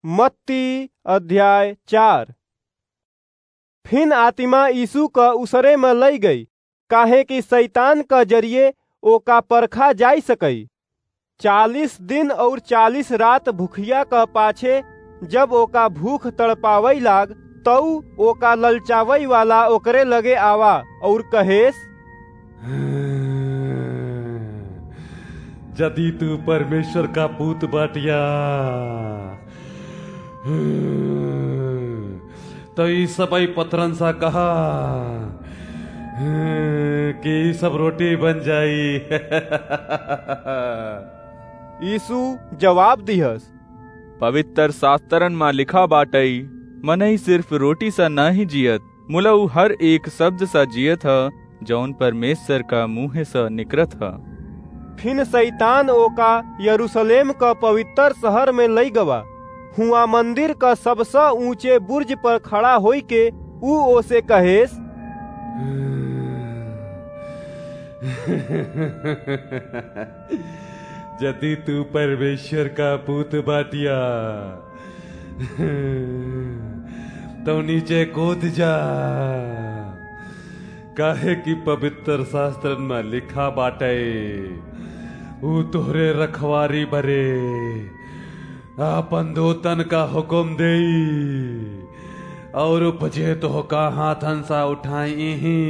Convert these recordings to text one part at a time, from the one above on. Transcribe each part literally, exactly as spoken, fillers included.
मत्ती अध्याय चार। फिन आतिमा यीसू क उसरे म लइ गई, काहे कि सैतान क जरिये ओका परखा जाइ सकई। चालीस दिन अउर चालीस रात भुखिया क पाछे जब ओका भूख तड़पावइ लाग, तउ ओका ललचावइ वाला ओकरे लगे आवा अउर कहेस, "जदि तू परमेश्वर का पूत बाटिया, तउ ई सबइ पत्थरन सा कहा कि ई सब रोटी बन जाई।" यीसू जवाब दिहस, पवित्र सास्त्रन मा लिखा बाटइ, मनई सिर्फ रोटी सा नाहीं जियत, मुला ऊ हर एक शब्द सा जियत ह, जउन परमेश्वर का मुँह स निकरत ह। फिन सैतान ओका यरूसलेम क पवित्र सहर म लइ गवा। हुआँ मंदिर क सबस ऊँचे बुर्ज पर खड़ा होइके ऊ ओसे कहेस, "जदि तू परमेश्वर का पूत बाटिया, तउ नीचे कूद जा, काहे कि पवित्र सास्त्रन म लिखा बाटइ, ऊ तोहरे रखवारी बरे आपन दूतन का हुकुम देई, अउर उपजे तोहका हाथन सा उठाई ही,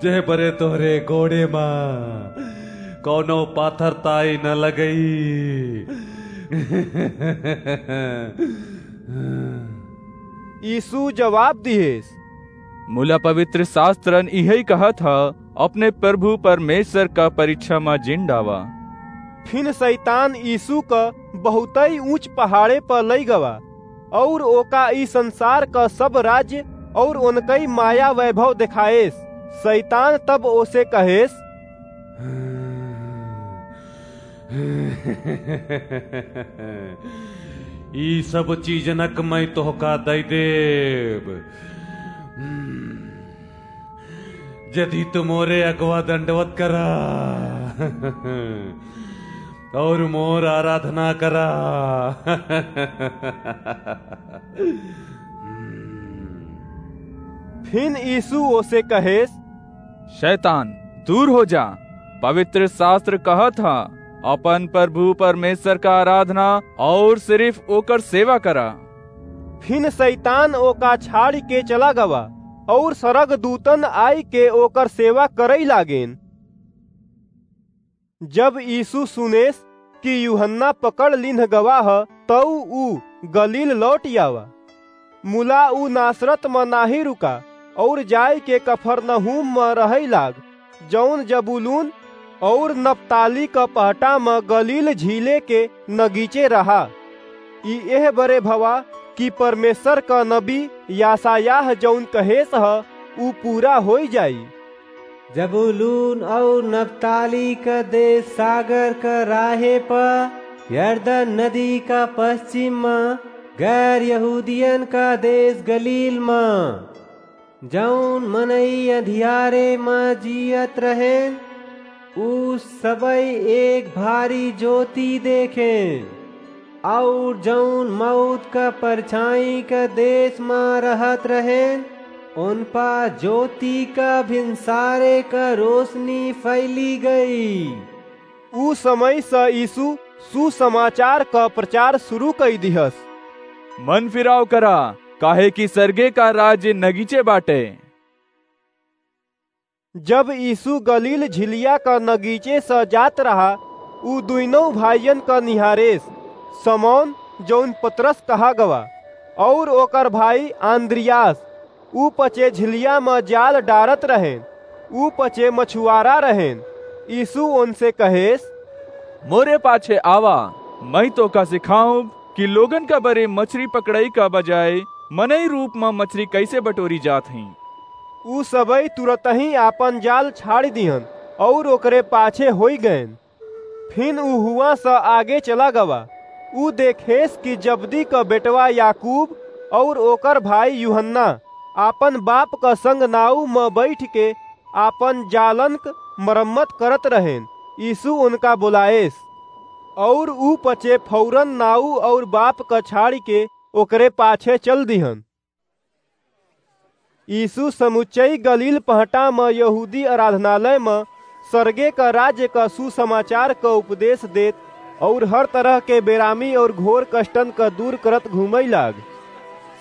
जेह बरे तोहरे गोड़े मा कउनो पाथर ताई न लगई।" यीसू जवाब दिहेस, मुला पवित्र सास्त्रन इहइ कहत ह, अपने प्रभु परमेश्वर का परीक्षा मा जिन डावा। फिन सैतान यीसू क बहुतइ ऊँच पहाड़े प लइ गवा, अउर ओका ई संसार क सब राज्य अउर ओनकइ माया वैभव देखाएस। सैतान तब ओसे कहेस, "ई सब चीजनक मइँ तोहका दइ देब, जदि तू मोरे अगवा दंडवत करा अउर मोर आराधना करा।" फिन यीसू ओसे कहेस, शैतान, दूर हो जा, पवित्र सास्त्र कहत ह, अपन प्रभु परमेश्वर का आराधना अउर सिर्फ ओकर सेवा करा। फिन सैतान ओका छाड़िके चला गवा, अउर सरगदूतन आइके ओकर सेवा करइ लागेन। जब यीसू सुनेस कि यूहन्ना पकड़ लिन्ह गवा ह, तउ ऊ गलील लौटि आवा। मुला ऊ नासरत म नाहीं रुका, अउर जाइके कफरनहूम म रहइ लाग, जउन जबूलून अउर नप्ताली क पहटा म गलील झीले के नगीचे रहा। ई एह बरे भवा कि परमेश्वर क नबी यशायाह जउन कहेस ह, ऊ पूरा होइ जाई। जबूलून अउर नप्ताली क देस सागर क राहे प, यरदन नदी क पस्चिम म, गैर यहूदियन क देस गलील म। जउन मनई अंधियारे म जियत रहें, ऊ सबई एक भारी जोति देखें। अउर जउन मउत क परछाईं क देस म रहत रहेन, ओन प जोति क भिनसारे क रोसनी फइली गई। ऊ समय स यीसू सुसमाचार क परचार सुरू कइ दिहस। मन फिराव करा, काहे कि सरगे क राज्य नगीचे बाटे। जब यीसू गलील झिलिया क नगीचे स जात रहा, ऊ दुइनों भाइयन क निहारेस, समौन, जउन पतरस कहा गवा, अउर ओकर भाई आन्द्रियास, ऊ पचे झिलिया म जाल डारत रहेन, ऊ पचे मछुआरा रहेन। यीसू ओनसे कहेस, मोरे पाछे आवा, मइँ तोका सिखाउब कि लोगन क बरे मछरी पकड़ई क बजाय मनई रूप म मछरी कइसे बटोरी जात हइँ। ऊ सबई तुरतहीं आपन जाल छाड़ि दिहन अउर ओकरे पाछे होइ गएन। फिन ऊ हुआँ स आगे चला गवा। ऊ देखेस कि जबदी क बेटवा याकूब अउर ओकर भाई यूहन्ना आपन बाप क संग नाउ म बइठके आपन जालन क मरम्मत करत रहेन। यीसू ओनका बोलाएस, और ऊ पचे फौरन नाऊ और बाप क छाड़ि के ओकरे पाछे चल दिहन। यीशु समुच्चई गलील पहटा म यहूदी आराधनालय म सरगे क राज्य क सुसमाचार क उपदेश देत और हर तरह के बेरामी और घोर कष्टन क दूर करत घूमई लाग।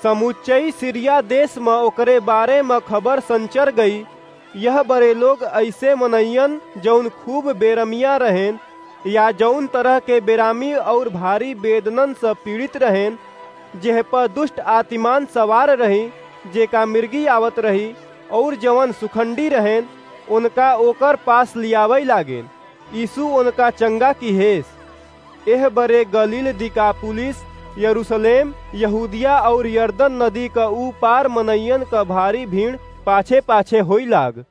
समुच्चई सीरिया देश म ओकरे बारे म खबर संचर गई। यह बरे लोग ऐसे मनइयन जौन खूब बेरमिया रहेन या जौन तरह के बेरामी और भारी बेदनन से पीड़ित रहेन, जेह पर दुष्ट आत्मान सवार रही, जेका मिर्गी आवत रही, और जवन सुखंडी रहेन, उनका ओकर पास लियावई लागेन। यीशु उनका चंगा किहेस। एह बरे गलील, दिकापुलिस, यरूशलेम, यहूदिया और यरदन नदी क ऊ पार मनइयन क भारी भीड़ पाछे-पाछे होई लाग।